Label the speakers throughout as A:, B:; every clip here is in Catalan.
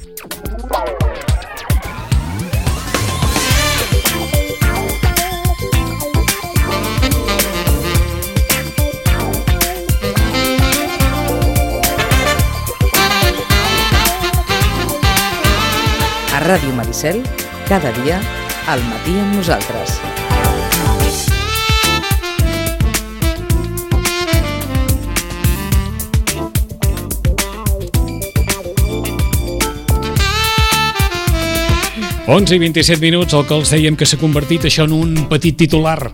A: A Ràdio Maricel, cada dia, al matí amb nosaltres.
B: Onze i 27 minuts, el que els dèiem que s'ha convertit això en un petit titular.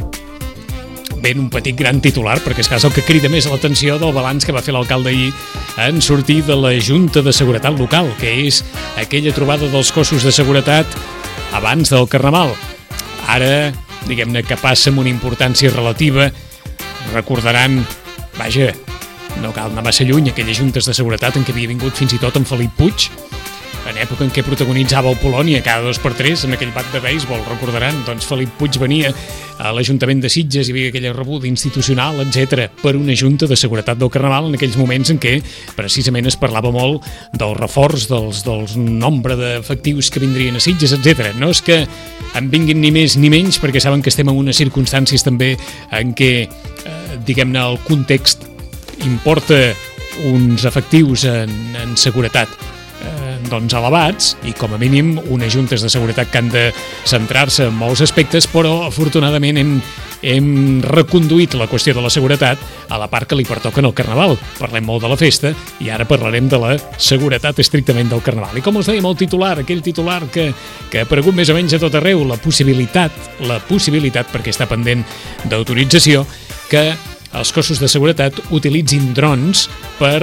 B: Ben, un petit gran titular, perquè és el que crida més l'atenció del balanç que va fer l'alcalde ahir en sortir de la Junta de Seguretat Local, que és aquella trobada dels cossos de seguretat abans del Carnaval. Ara, diguem-ne que passa amb una importància relativa. Recordaran, vaja, no cal anar massa lluny, aquelles juntes de seguretat en què havia vingut fins i tot en Felip Puig, en època en què protagonitzava el Polònia cada 2x3 en aquell bat de béisbol, recordaran, doncs Felip Puig venia a l'Ajuntament de Sitges, hi havia aquella rebuda institucional, etc, per una junta de seguretat del Carnaval en aquells moments en què precisament es parlava molt del reforç, del nombre d'efectius que vindrien a Sitges, etc. No és que en vinguin ni més ni menys, perquè saben que estem en unes circumstàncies també en què, diguem-ne, el context importa uns efectius en seguretat doncs elevats i com a mínim unes juntes de seguretat que han de centrar-se en molts aspectes, però afortunadament hem reconduït la qüestió de la seguretat a la part que li pertoca en el Carnaval. Parlem molt de la festa i ara parlarem de la seguretat estrictament del Carnaval. I com us dèiem, el titular, aquell titular que ha aparegut més o menys a tot arreu, la possibilitat, perquè està pendent d'autorització, que els cossos de seguretat utilitzin drons per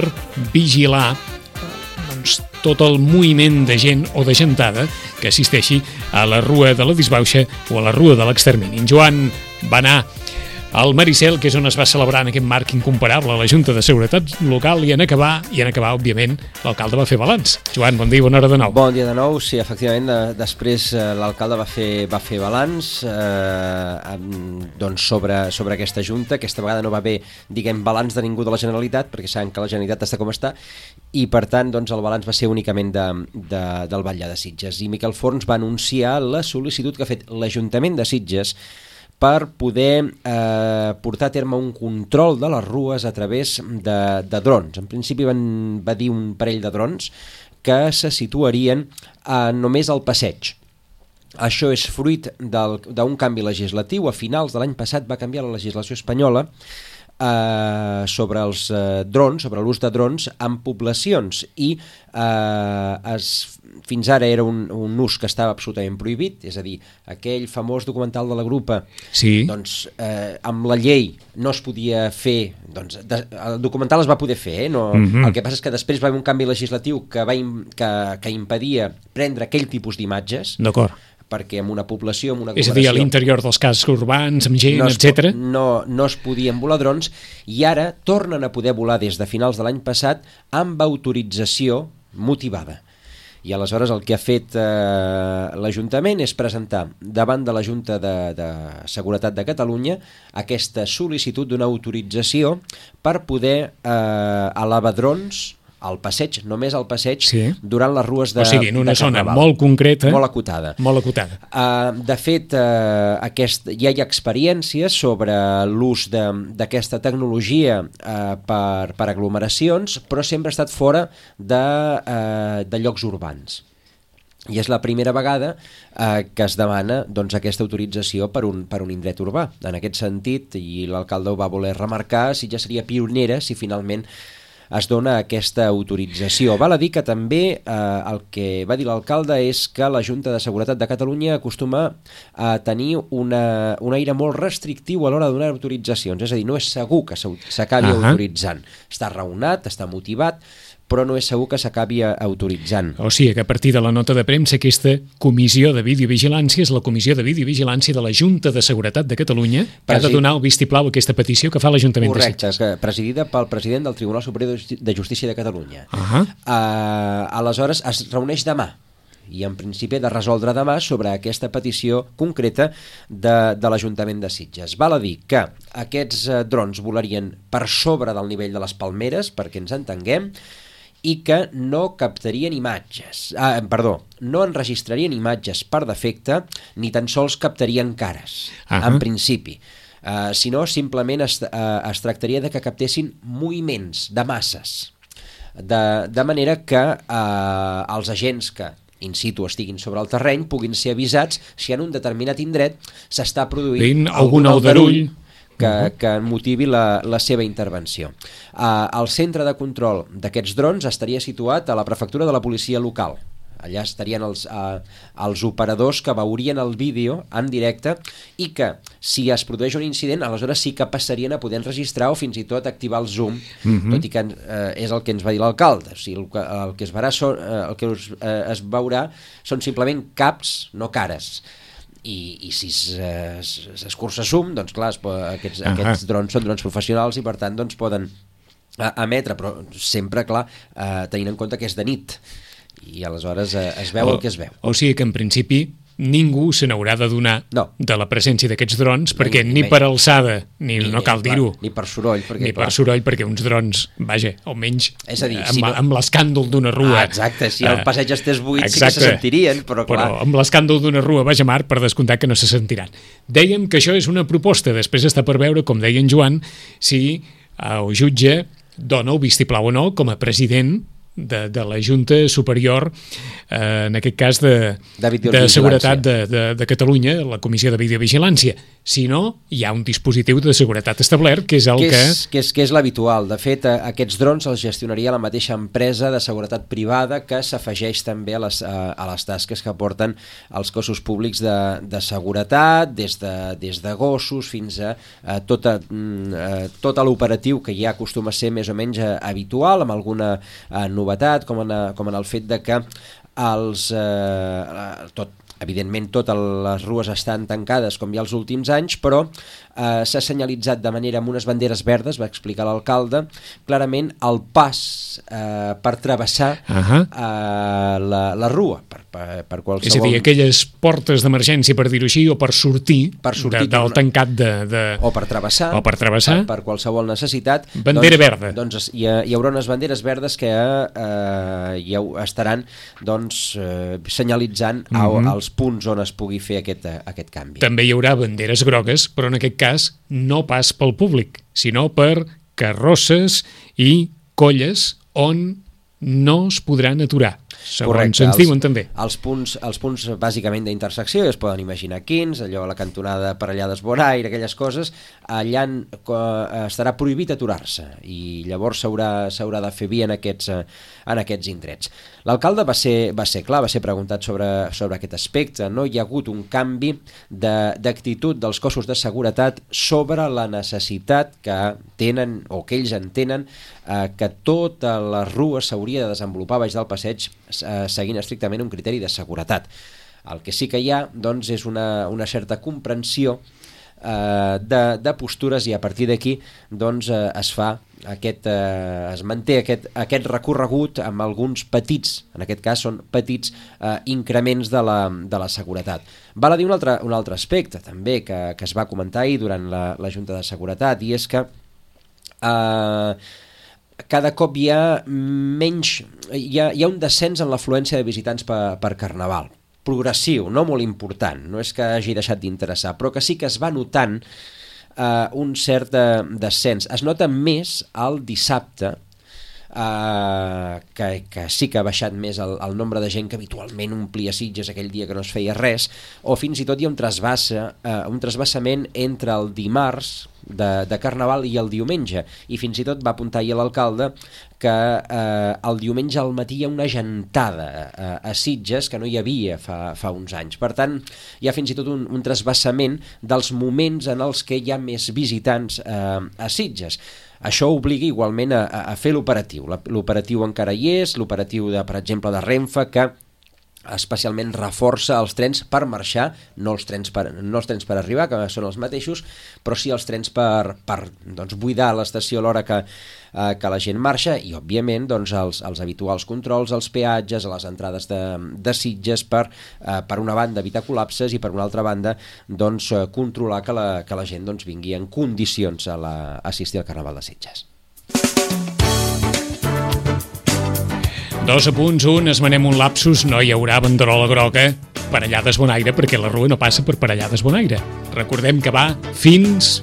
B: vigilar tot el moviment de gent o de gentada que assisteixi a la Rua de la Disbauxa o a la Rua de l'Extermini. En Joan va anar al Maricel, que és on es va celebrar en aquest marc incomparable a la Junta de Seguretat Local, i en acabar, òbviament, l'alcalde va fer balanç. Joan, bon dia i bona hora de nou.
C: Bon dia de nou, sí, efectivament, després l'alcalde va fer balanç doncs sobre aquesta Junta. Aquesta vegada no va haver, diguem, balanç de ningú de la Generalitat, perquè saben que la Generalitat està com està, i per tant doncs, el balanç va ser únicament del Batlle de Sitges. I Miquel Forns va anunciar la sol·licitud que ha fet l'Ajuntament de Sitges per poder portar a terme un control de les rues a través de drons. En principi va dir un parell de drons que se situarien només al passeig. Això és fruit d'un canvi legislatiu. A finals de l'any passat va canviar la legislació espanyola sobre els drons, sobre l'ús de drons en poblacions, i fins ara era un ús que estava absolutament prohibit, és a dir, aquell famós documental de la Grupa,
B: sí.
C: Doncs amb la llei no es podia fer, doncs el documental es va poder fer, no? El que passa és que després va haver un canvi legislatiu que impedia prendre aquell tipus d'imatges.
B: D'acord.
C: Perquè en una població, en una aglomeració...
B: És a dir, a l'interior dels cascs urbans, amb gent, etc.
C: No es podien volar drons, i ara tornen a poder volar des de finals de l'any passat amb autorització motivada. I aleshores el que ha fet l'Ajuntament és presentar davant de la Junta de Seguretat de Catalunya aquesta sol·licitud d'una autorització per poder elevar drons al passeig, només al passeig, sí. Durant les rues de Carnaval. O sigui, en una zona molt concreta. Molt acotada. Molt acotada. De fet, ja hi ha experiències sobre l'ús d'aquesta tecnologia per aglomeracions, però sempre ha estat fora de llocs urbans. I és la primera vegada que es demana doncs, aquesta autorització per un indret urbà. En aquest sentit, i l'alcalde ho va voler remarcar, si ja seria pionera si finalment es dona aquesta autorització. Val a dir que també el que va dir l'alcalde és que la Junta de Seguretat de Catalunya acostuma a tenir un aire molt restrictiu a l'hora de donar autoritzacions, és a dir, no és segur que s'acabi autoritzant. Està raonat, està motivat, però no és segur que s'acabi autoritzant.
B: O sigui que a partir de la nota de premsa aquesta comissió de videovigilància és la comissió de videovigilància de la Junta de Seguretat de Catalunya que ha de donar el vistiplau a aquesta petició que fa l'Ajuntament de Sitges.
C: Correcte, presidida pel president del Tribunal Superior de Justícia de Catalunya. Aleshores es reuneix demà i en principi ha de resoldre demà sobre aquesta petició concreta de l'Ajuntament de Sitges. Val a dir que aquests drons volarien per sobre del nivell de les palmeres, perquè ens entenguem, i que no captarien imatges, no enregistrarien imatges per defecte ni tan sols captarien cares, en principi. Sinó simplement es tractaria de que captessin moviments de masses, de manera que els agents que in situ estiguin sobre el terreny puguin ser avisats si en un determinat indret s'està produint algun aldarull que motivi la seva intervenció. El centre de control d'aquests drons estaria situat a la prefectura de la policia local. Allà estarien els operadors que veurien el vídeo en directe i que, si es produeix un incident, aleshores sí que passarien a poder enregistrar o fins i tot activar el zoom, tot i que és el que ens va dir l'alcalde. O sigui, el que es veurà són simplement caps, no cares. I si s'escurça zoom, doncs clar, aquests drons són drons professionals i per tant doncs poden emetre, però sempre, clar, tenint en compte que és de nit i aleshores es veu el que es veu.
B: O sigui que en principi ningú se n'haurà de donar de la presència d'aquests drons, perquè ni per alçada, no cal dir-ho,
C: ni per soroll,
B: perquè uns drons, vaja, almenys amb l'escàndol d'una rua.
C: Exacte, si el passeig estés buit sí que se sentirien, però clar.
B: Però amb l'escàndol d'una rua, vaja mar, per descomptat que no se sentiran. Dèiem que això és una proposta, després està per veure, com deia en Joan, si el jutge dona el vistiplau o no com a president de la Junta Superior, en aquest cas de Seguretat de Catalunya, la Comissió de Videovigilància. Si no, hi ha un dispositiu de seguretat establert, que és el
C: que és l'habitual. De fet, aquests drons els gestionaria la mateixa empresa de seguretat privada que s'afegeix també a les tasques que porten els cossos públics de seguretat, des de gossos fins a tot l'operatiu que ja acostuma a ser més o menys habitual, amb alguna novetat, com en el fet de que evidentment totes les rues estan tancades com ja els últims anys, però s'ha senyalitzat de manera amb unes banderes verdes, va explicar l'alcalde, clarament el pas per travessar la rua, per qualsevol...
B: És a dir, aquelles portes d'emergència, per dir-ho així, o per sortir del tancat
C: o per travessar, per qualsevol necessitat.
B: Bandera verda.
C: Doncs hi haurà unes banderes verdes que ja estaran senyalitzant els punts on es pugui fer aquest canvi.
B: També hi haurà banderes grogues, però en aquest cas no pas pel públic, sinó per carrosses i colles on no es podran aturar, segons ens diuen també.
C: Els punts bàsicament d'intersecció, es poden imaginar quins, allò a la cantonada per allà d'Esboraire, aquelles coses, allà estarà prohibit aturar-se i llavors s'haurà de fer via en aquests indrets. L'alcalde va ser clar, va ser preguntat sobre aquest aspecte. No hi ha hagut un canvi d'actitud dels cossos de seguretat sobre la necessitat que tenen o que ells entenen que tota la rua s'hauria de desenvolupar baix del passeig seguint estrictament un criteri de seguretat. El que sí que hi ha doncs, és una certa comprensió de postures i a partir d'aquí doncs, es manté aquest recorregut amb alguns petits, en aquest cas són petits increments de la seguretat. Val a dir un altre aspecte també que es va comentar ahir durant la Junta de Seguretat, i és que cada cop hi ha un descens en l'afluència de visitants per Carnaval, progressiu, no molt important, no és que hagi deixat d'interessar, però que sí que es va notant un cert descens. Es nota més el dissabte, que sí que ha baixat més el nombre de gent que habitualment omplia Sitges aquell dia que no es feia res, o fins i tot hi ha un trasbassament entre el dimarts de Carnaval i el diumenge, i fins i tot va apuntar ahir l'alcalde que el diumenge al matí hi ha una gentada a Sitges que no hi havia fa uns anys. Per tant, hi ha fins i tot un trasbassament dels moments en els que hi ha més visitants a Sitges. Això obliga igualment a fer l'operatiu. L'operatiu encara hi és, l'operatiu, per exemple, de Renfe, que especialment reforça els trens per marxar, no els trens per arribar, que són els mateixos, però sí els trens per buidar l'estació a l'hora que la gent marxa, i òbviament doncs, els habituals controls, els peatges, a les entrades de Sitges per una banda evitar col·lapses i per una altra banda doncs, controlar que la gent doncs, vingui en condicions a assistir al Carnaval de Sitges.
B: Dos apunts, un, esmenem un lapsus, no hi haurà banderola groga Parellades Bonaire, perquè la rua no passa per Parellades Bonaire. Recordem que va fins,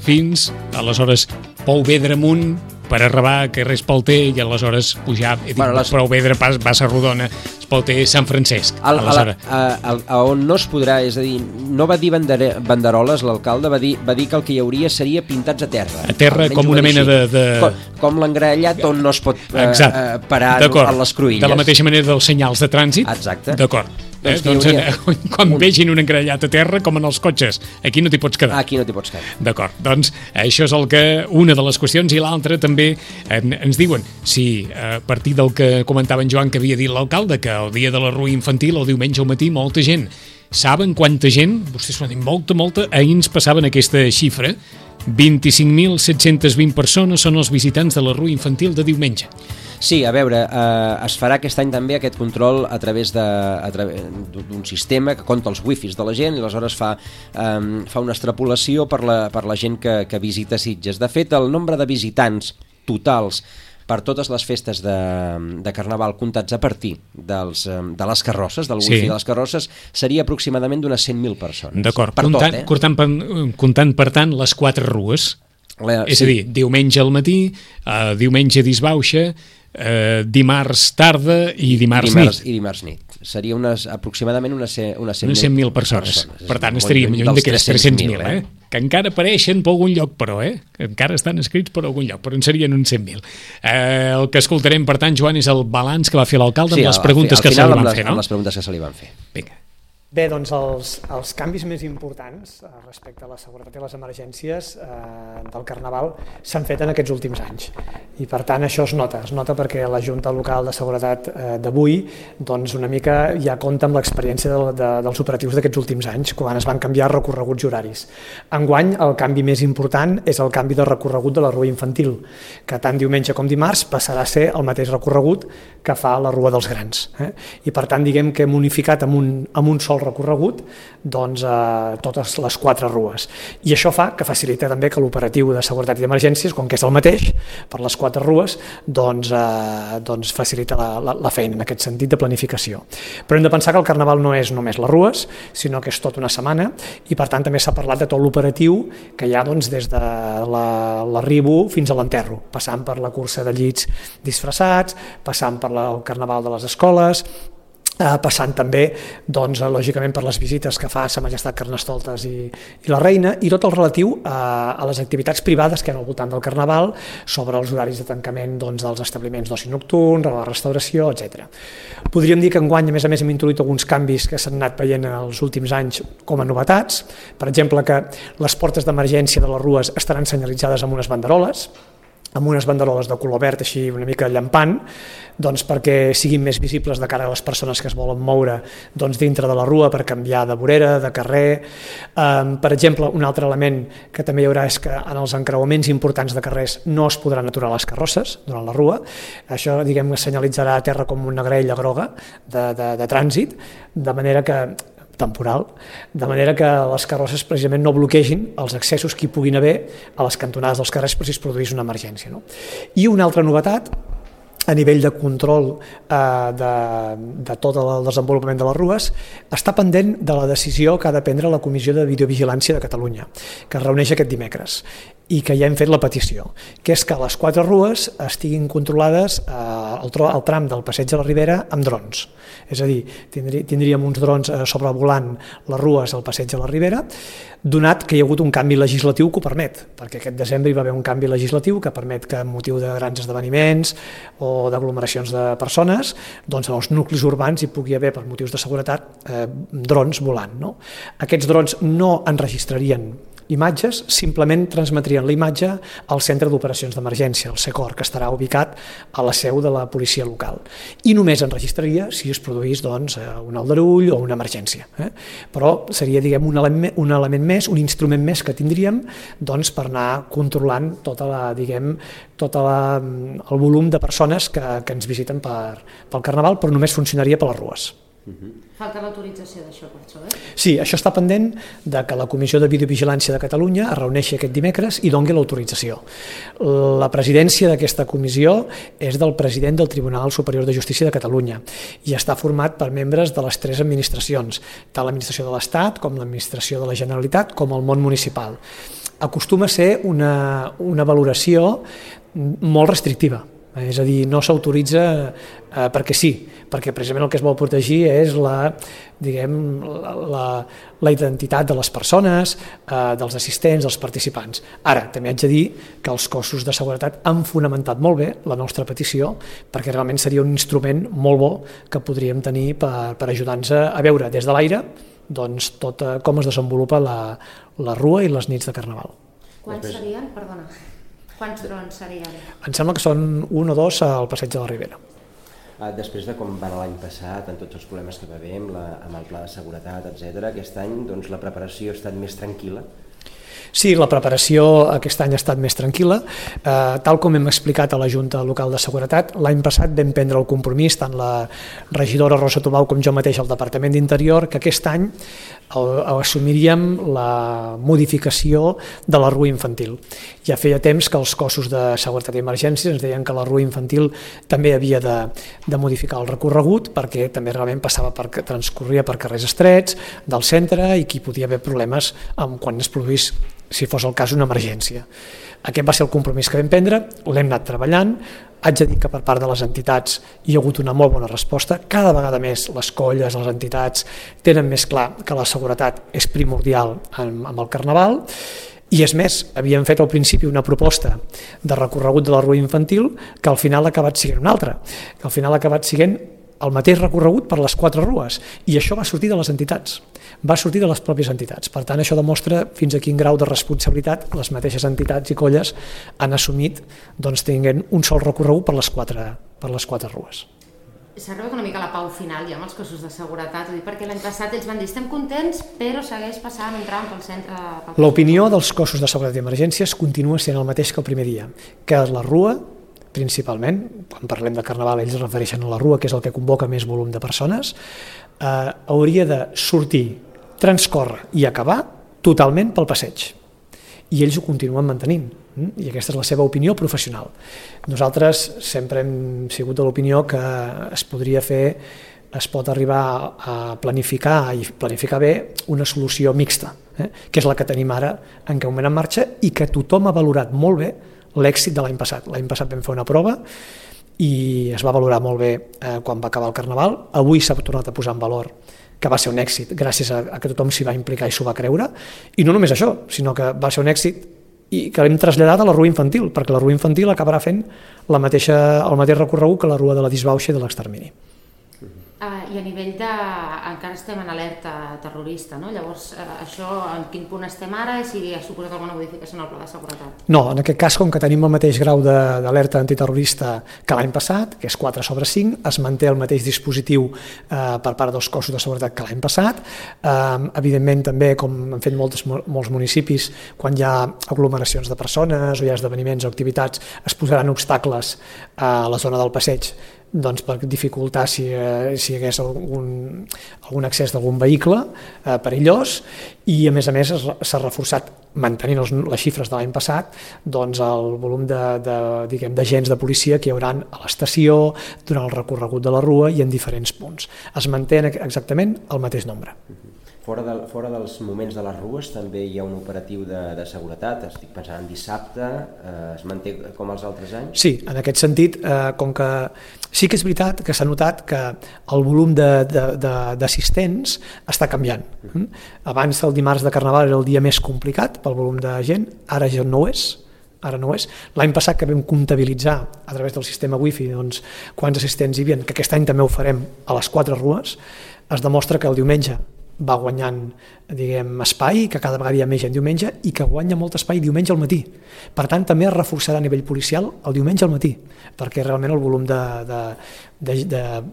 B: aleshores, Pou Vedra amunt, per arribar a carrer Espalter i aleshores pujar, Pou Vedra passa Rodona, Espalter, Sant Francesc.
C: On no es podrà, és a dir, no va dir banderoles l'alcalde, va dir que el que hi hauria seria pintats a terra.
B: A terra, com una mena de...
C: Com l'engraellat on no es pot parar a les cruïlles.
B: De la mateixa manera dels senyals de trànsit.
C: Exacte.
B: D'acord. Quan vegin un engraellat a terra, com en els cotxes, aquí no t'hi pots quedar.
C: Aquí no t'hi pots quedar.
B: D'acord, doncs això és una de les qüestions, i l'altra també ens diuen, si a partir del que comentava en Joan que havia dit l'alcalde, que el dia de la rua infantil, el diumenge al matí, molta gent. Saben quanta gent? Vostès m'han dit molta, ahir ens passaven aquesta xifra, 25.720 persones són els visitants de la rua infantil de diumenge.
C: Sí, a veure, es farà aquest any també aquest control a través d'un sistema que compta els wifis de la gent i aleshores fa una extrapolació per la gent que visita Sitges. De fet, el nombre de visitants totals per totes les festes de Carnaval comptats a partir de les carrosses, del wifi de les carrosses, seria aproximadament d'unes 100.000 persones.
B: D'acord, comptant per tant les 4 rues, és a dir, diumenge al matí, diumenge disbauxa, dimarts tarda i dimarts nit.
C: I dimarts nit. Seria aproximadament unes
B: 100.000 persones. Per tant, estaríem lluny d'aquests 300.000, que encara apareixen per algun lloc, però, que encara estan escrits per algun lloc, però en serien uns 100.000. El que escoltarem, per tant, Joan, és el balanç que va fer l'alcalde amb les preguntes que se li van fer, no?
C: Amb les preguntes que se li van fer.
B: Vinga.
D: Bé, doncs els canvis més importants respecte a la seguretat i les emergències del Carnaval s'han fet en aquests últims anys i per tant això es nota perquè la Junta Local de Seguretat d'avui doncs una mica ja compta amb l'experiència dels operatius d'aquests últims anys quan es van canviar recorreguts i horaris. Enguany el canvi més important és el canvi de recorregut de la rua infantil, que tant diumenge com dimarts passarà a ser el mateix recorregut que fa la rua dels grans. I per tant diguem que hem unificat amb un sol recorregut doncs, totes les 4 rues. I això fa que facilita també que l'operatiu de seguretat i d'emergències, com que és el mateix per les 4 rues, doncs facilita la feina en aquest sentit de planificació. Però hem de pensar que el Carnaval no és només les rues, sinó que és tota una setmana i per tant també s'ha parlat de tot l'operatiu que hi ha doncs, des de l'arribo fins a l'enterro, passant per la cursa de llits disfressats, passant per el Carnaval de les escoles, passant també, doncs, lògicament, per les visites que fa Sa Majestat Carnestoltes i la Reina, i tot el relatiu a les activitats privades que hi ha al voltant del Carnaval, sobre els horaris de tancament doncs, dels establiments d'oci nocturn, la restauració, etc. Podríem dir que enguany, a més, hem introduït alguns canvis que s'han anat veient en els últims anys com a novetats. Per exemple, que les portes d'emergència de les rues estaran senyalitzades amb unes banderoles, de color verd així una mica llampant, doncs perquè siguin més visibles de cara a les persones que es volen moure doncs, dintre de la rua per canviar de vorera, de carrer. Per exemple, un altre element que també hi haurà és que en els encreuaments importants de carrers no es podran aturar les carrosses durant la rua. Això, diguem, senyalitzarà a terra com una graella groga de trànsit, de manera que temporal, de manera que les carrosses precisament no bloquegin els accessos que hi puguin haver a les cantonades dels carrers per si es produís una emergència. No? I una altra novetat, a nivell de control de tot el desenvolupament de les rues, està pendent de la decisió que ha de prendre la Comissió de Videovigilància de Catalunya, que es reuneix aquest dimecres, i que ja hem fet la petició, que és que les 4 rues estiguin controlades al tram del Passeig de la Ribera amb drons. És a dir, tindríem uns drons sobrevolant les rues al Passeig de la Ribera, donat que hi ha hagut un canvi legislatiu que ho permet, perquè aquest desembre hi va haver un canvi legislatiu que permet que en motiu de grans esdeveniments o d'aglomeracions de persones, doncs en els nuclis urbans hi pugui haver, per motius de seguretat, drons volant. No? Aquests drons no enregistrarien imatges, simplement transmetrien la imatge al Centre d'Operacions d'Emergència, el SECOR, que estarà ubicat a la seu de la policia local. I només enregistraria si es produís doncs, un aldarull o una emergència. Però seria diguem, un element més, un instrument més que tindríem doncs, per anar controlant tot el volum de persones que ens visiten pel Carnaval, però només funcionaria per les rues.
E: Falta l'autorització d'això, per això,
D: Sí, això està pendent de que la Comissió de Videovigilància de Catalunya es reuneixi aquest dimecres i doni l'autorització. La presidència d'aquesta comissió és del president del Tribunal Superior de Justícia de Catalunya i està format per membres de les 3 administracions, tant l'administració de l'Estat com l'administració de la Generalitat com el món municipal. Acostuma a ser una valoració molt restrictiva. És a dir, no s'autoritza perquè sí, perquè precisament el que es vol protegir és la identitat de les persones, dels assistents, dels participants. Ara, també haig de dir que els cossos de seguretat han fonamentat molt bé la nostra petició perquè realment seria un instrument molt bo que podríem tenir per ajudar-nos a veure des de l'aire doncs, tot com es desenvolupa la rua i les nits de Carnaval.
E: Quants serien? Perdona. Quants drons serien?
D: Em sembla que són 1 o 2 al Passeig de la Ribera.
C: Després de com va anar l'any passat, en tots els problemes que va haver amb el pla de seguretat, etc., aquest any doncs, la preparació ha estat més tranquil·la?
D: Sí, la preparació aquest any ha estat més tranquil·la. Tal com hem explicat a la Junta Local de Seguretat, l'any passat vam prendre el compromís, tant la regidora Rosa Tobau com jo mateix al Departament d'Interior, que aquest any assumiríem la modificació de la rua infantil. Ja feia temps que els cossos de seguretat i emergències ens deien que la rua infantil també havia de modificar el recorregut perquè també realment transcorria per carrers estrets del centre i que hi podia haver problemes quan es produís, si fos el cas, una emergència. Aquest va ser el compromís que vam prendre, l'hem anat treballant. Haig de dir que per part de les entitats hi ha hagut una molt bona resposta. Cada vegada més les colles, les entitats tenen més clar que la seguretat és primordial amb el Carnaval. I és més, havíem fet al principi una proposta de recorregut de la rua infantil que al final ha acabat sent una altra, que al final ha acabat sent el mateix recorregut per les 4 rues, i això va sortir de les entitats, va sortir de les pròpies entitats. Per tant, això demostra fins a quin grau de responsabilitat les mateixes entitats i colles han assumit tinguent un sol recorregut per les 4 rues.
E: S'ha arribat una mica a la pau final ja amb els cossos de seguretat, perquè l'any passat ells van dir estem contents però segueix passant un tram pel centre.
D: L'opinió dels cossos de seguretat i emergències continua sent el mateix que el primer dia, que la rua, principalment, quan parlem de Carnaval ells es refereixen a la rua, que és el que convoca més volum de persones, hauria de sortir, transcórrer i acabar totalment pel passeig. I ells ho continuen mantenint, i aquesta és la seva opinió professional. Nosaltres sempre hem sigut de l'opinió que es pot arribar a planificar i planificar bé una solució mixta, que és la que tenim ara en aquest moment en marxa i que tothom ha valorat molt bé l'èxit de l'any passat. L'any passat vam fer una prova i es va valorar molt bé quan va acabar el Carnaval. Avui s'ha tornat a posar en valor que va ser un èxit gràcies a que tothom s'hi va implicar i s'ho va creure, i no només això, sinó que va ser un èxit i que l'hem traslladat a la rua infantil, perquè la rua infantil acabarà fent el mateix recorregut que la rua de la disbauxa i de l'extermini.
E: I a nivell de... encara estem en alerta terrorista, no? Llavors, això en quin punt estem ara i si ha suposat alguna modificació en el pla de seguretat?
D: No, en aquest cas, com que tenim el mateix grau d'alerta antiterrorista que l'any passat, que és 4/5, es manté el mateix dispositiu per part dels cossos de seguretat que l'any passat. Evidentment, també, com han fet molts municipis, quan hi ha aglomeracions de persones o hi ha esdeveniments o activitats, es posaran obstacles a la zona del passeig per dificultar si hi hagués algun accés d'algun vehicle perillós, i a més s'ha reforçat, mantenint les xifres de l'any passat, el volum d'agents de policia que hi haurà a l'estació, durant el recorregut de la rua i en diferents punts. Es manté exactament el mateix nombre.
C: Fora dels moments de les rues també hi ha un operatiu de seguretat, estic pensant en dissabte, es manté com els altres anys?
D: Sí, en aquest sentit, com que sí que és veritat que s'ha notat que el volum d'assistents està canviant. Abans el dimarts de Carnaval era el dia més complicat pel volum de gent, ara ja no ho és. L'any passat que vam comptabilitzar a través del sistema wifi quants assistents hi havia, que aquest any també ho farem a les 4 rues, es demostra que el diumenge va guanyant espai, que cada vegada hi ha més gent diumenge i que guanya molt espai diumenge al matí. Per tant, també es reforçarà a nivell policial el diumenge al matí, perquè realment el volum de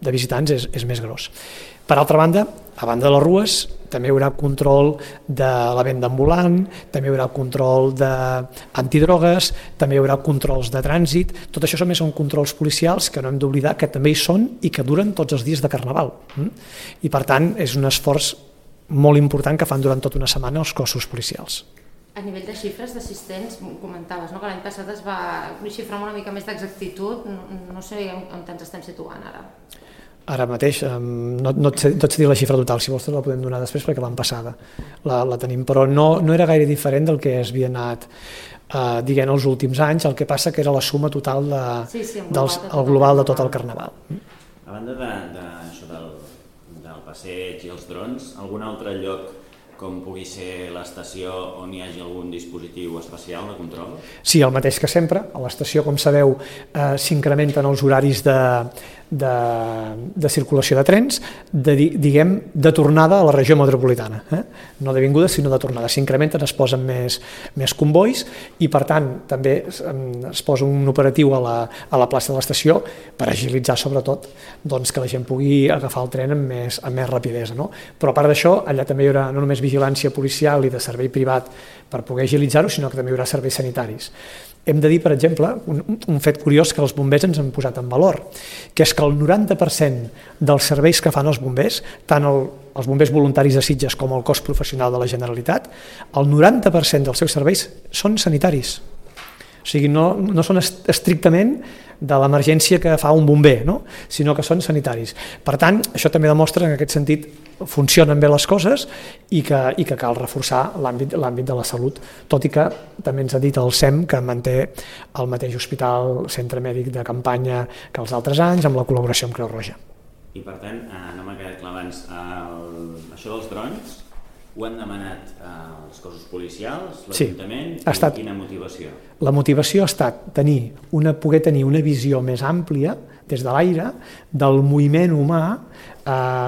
D: visitants és més gros. Per altra banda, a banda de les rues, també hi haurà control de la venda ambulant, també hi haurà control d'antidrogues, també hi haurà controls de trànsit. Tot això també són controls policials que no hem d'oblidar que també hi són i que duren tots els dies de Carnaval. I per tant és un esforç molt important que fan durant tota una setmana els cossos policials.
E: A nivell de xifres d'assistents, comentaves, no?, que l'any passat es va xifrar amb una mica més d'exactitud. No sé on ens estem situant ara.
D: Ara mateix, no et sé dir la xifra total, si vols te la podem donar després perquè l'any passada la tenim, però no era gaire diferent del que es havia anat dient els últims anys, el que passa que era la suma total el global de tot el Carnaval.
F: A banda d'això del passeig i els drons, algun altre lloc com pugui ser l'estació on hi hagi algun dispositiu especial de control?
D: Sí, el mateix que sempre. A l'estació, com sabeu, s'incrementen els horaris de circulació de trens, de tornada a la regió metropolitana. No de vinguda, sinó de tornada. S'incrementen, es posen més convois i, per tant, també es posa un operatiu a la plaça de l'estació per agilitzar, sobretot, que la gent pugui agafar el tren amb més rapidesa. Però, a part d'això, allà també hi haurà no només vigilància policial i de servei privat per poder agilitzar-ho, sinó que també hi haurà serveis sanitaris. Hem de dir, per exemple, un fet curiós que els bombers ens han posat en valor, que és que el 90% dels serveis que fan els bombers, tant els bombers voluntaris de Sitges com el cos professional de la Generalitat, el 90% dels seus serveis són sanitaris. O sigui, no són estrictament de l'emergència que fa un bomber, sinó que són sanitaris. Per tant, això també demostra que en aquest sentit funcionen bé les coses i que cal reforçar l'àmbit de la salut, tot i que també ens ha dit el SEM que manté el mateix hospital, centre mèdic de campanya que els altres anys, amb la col·laboració amb Creu Roja.
F: I per tant, no m'ha quedat clar abans, això dels drons ho han demanat els cossos policials, l'Ajuntament, i quina motivació?
D: La motivació ha estat poder tenir una visió més àmplia des de l'aire del moviment humà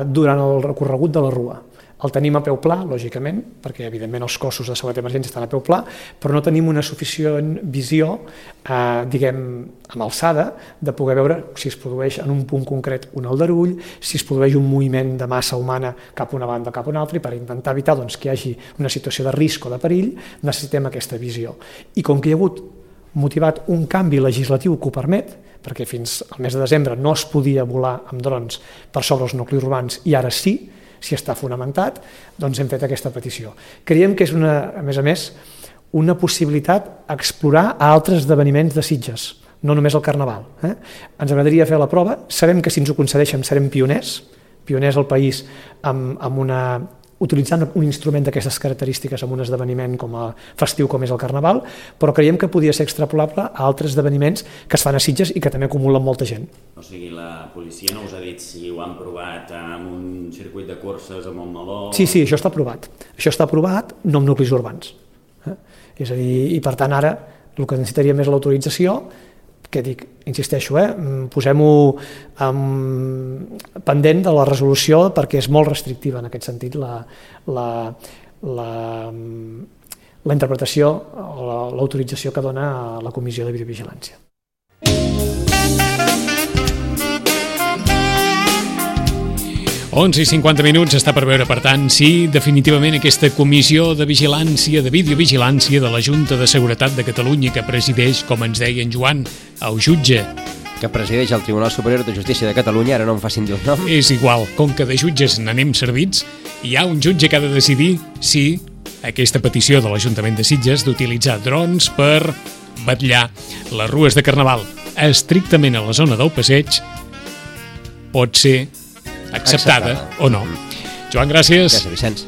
D: durant el recorregut de la rua. El tenim a peu pla, lògicament, perquè evidentment els cossos de seguretat d'emergència estan a peu pla, però no tenim una suficient visió, amb alçada, de poder veure si es produeix en un punt concret un aldarull, si es produeix un moviment de massa humana cap a una banda o cap a una altra, i per intentar evitar que hi hagi una situació de risc o de perill, necessitem aquesta visió. I com que hi ha hagut motivat un canvi legislatiu que ho permet, perquè fins al mes de desembre no es podia volar amb drons per sobre els nuclis urbans i ara sí, si està fonamentat, doncs hem fet aquesta petició. Creiem que és, a més, una possibilitat explorar altres esdeveniments de Sitges, no només el Carnaval. Ens agradaria fer la prova, sabem que si ens ho concedeixen serem pioners al país utilitzant un instrument d'aquestes característiques en un esdeveniment festiu com és el Carnaval, però creiem que podia ser extrapolable a altres esdeveniments que es fan a Sitges i que també acumulen molta gent.
F: O sigui, la policia no us ha dit si ho han provat amb un circuit de curses a Montmeló?
D: Sí, això està aprovat. Això està aprovat, no amb nuclis urbans. És a dir, i per tant ara el que necessitaria més l'autorització, que dic, insisteixo, posem-ho pendent de la resolució perquè és molt restrictiva en aquest sentit la interpretació o l'autorització que dona la Comissió de Videovigilància.
B: Onze i 50 minuts, està per veure, per tant, si definitivament aquesta comissió de vigilància, de videovigilància de la Junta de Seguretat de Catalunya que presideix, com ens deia en Joan, el jutge.
C: Que presideix el Tribunal Superior de Justícia de Catalunya, ara no em facin dir el nom.
B: És igual, com que de jutges n'anem servits, hi ha un jutge que ha de decidir si aquesta petició de l'Ajuntament de Sitges d'utilitzar drons per vetllar les rues de Carnaval estrictament a la zona del passeig pot ser acceptada o no. Joan, gràcies.
C: Gràcies, Vicenç.